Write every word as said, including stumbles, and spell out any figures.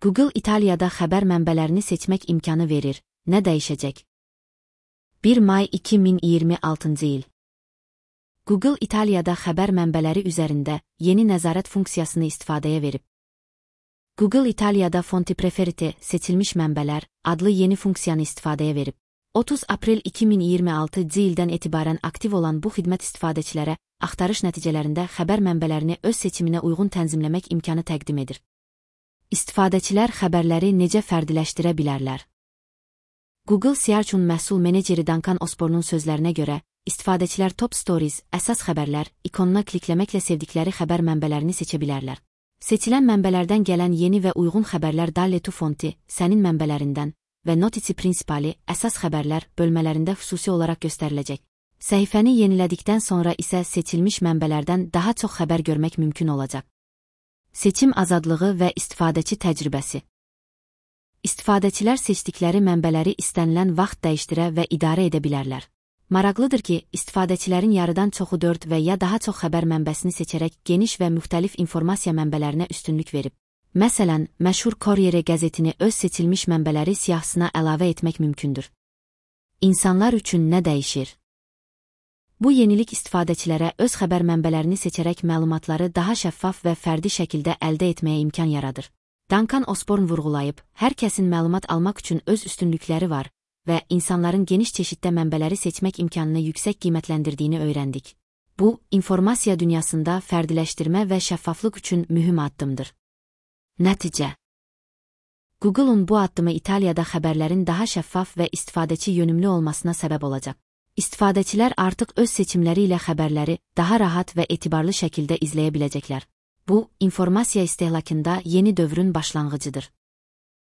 Google İtaliyada xəbər mənbələrini seçmək imkanı verir. Nə dəyişəcək? bir may iki min iyirmi altıncı il. Google İtaliyada xəbər mənbələri üzərində yeni nəzarət funksiyasını istifadəyə verib. Google İtaliyada Fonti Preferite seçilmiş mənbələr adlı yeni funksiyanı istifadəyə verib. otuz aprel iki min iyirmi altıncı ildən etibarən aktiv olan bu xidmət istifadəçilərə axtarış nəticələrində xəbər mənbələrini öz seçiminə uyğun tənzimləmək imkanı təqdim edir. İstifadəçilər xəbərləri necə fərdiləşdirə bilərlər? Google Search-un məhsul meneceri Duncan Osborne'un sözlərinə görə, istifadəçilər Top Stories, əsas xəbərlər, ikonuna klikləməklə sevdikləri xəbər mənbələrini seçə bilərlər. Seçilən mənbələrdən gələn yeni və uyğun xəbərlər Dalle tu Fonti, sənin mənbələrindən və Notizie Principali, əsas xəbərlər bölmələrində xüsusi olaraq göstəriləcək. Səhifəni yenilədikdən sonra isə seçilmiş mənbələrdən daha çox xəbər görmək mümkün olacaq. Seçim azadlığı və istifadəçi təcrübəsi. İstifadəçilər seçdikləri mənbələri istənilən vaxt dəyişdirə və idarə edə bilərlər. Maraqlıdır ki, istifadəçilərin yarıdan çoxu dörd və ya daha çox xəbər mənbəsini seçərək geniş və müxtəlif informasiya mənbələrinə üstünlük verib. Məsələn, məşhur Corriere qəzetini öz seçilmiş mənbələri siyahısına əlavə etmək mümkündür. İnsanlar üçün nə dəyişir? Bu yenilik istifadəçilərə öz xəbər mənbələrini seçərək məlumatları daha şəffaf və fərdi şəkildə əldə etməyə imkan yaradır. Duncan Osborne vurğulayıb, hər kəsin məlumat almaq üçün öz üstünlükləri var və insanların geniş çeşiddə mənbələri seçmək imkanını yüksək qiymətləndirdiyini öyrəndik. Bu, informasiya dünyasında fərdiləşdirmə və şəffaflıq üçün mühüm addımdır. Nəticə. Google'un bu addımı İtaliyada xəbərlərin daha şəffaf və istifadəçi yönümlü olmasına səbəb olacaq. İstifadəçilər artıq öz seçimləri ilə xəbərləri daha rahat və etibarlı şəkildə izləyə biləcəklər. Bu, informasiya istehlakında yeni dövrün başlanğıcıdır.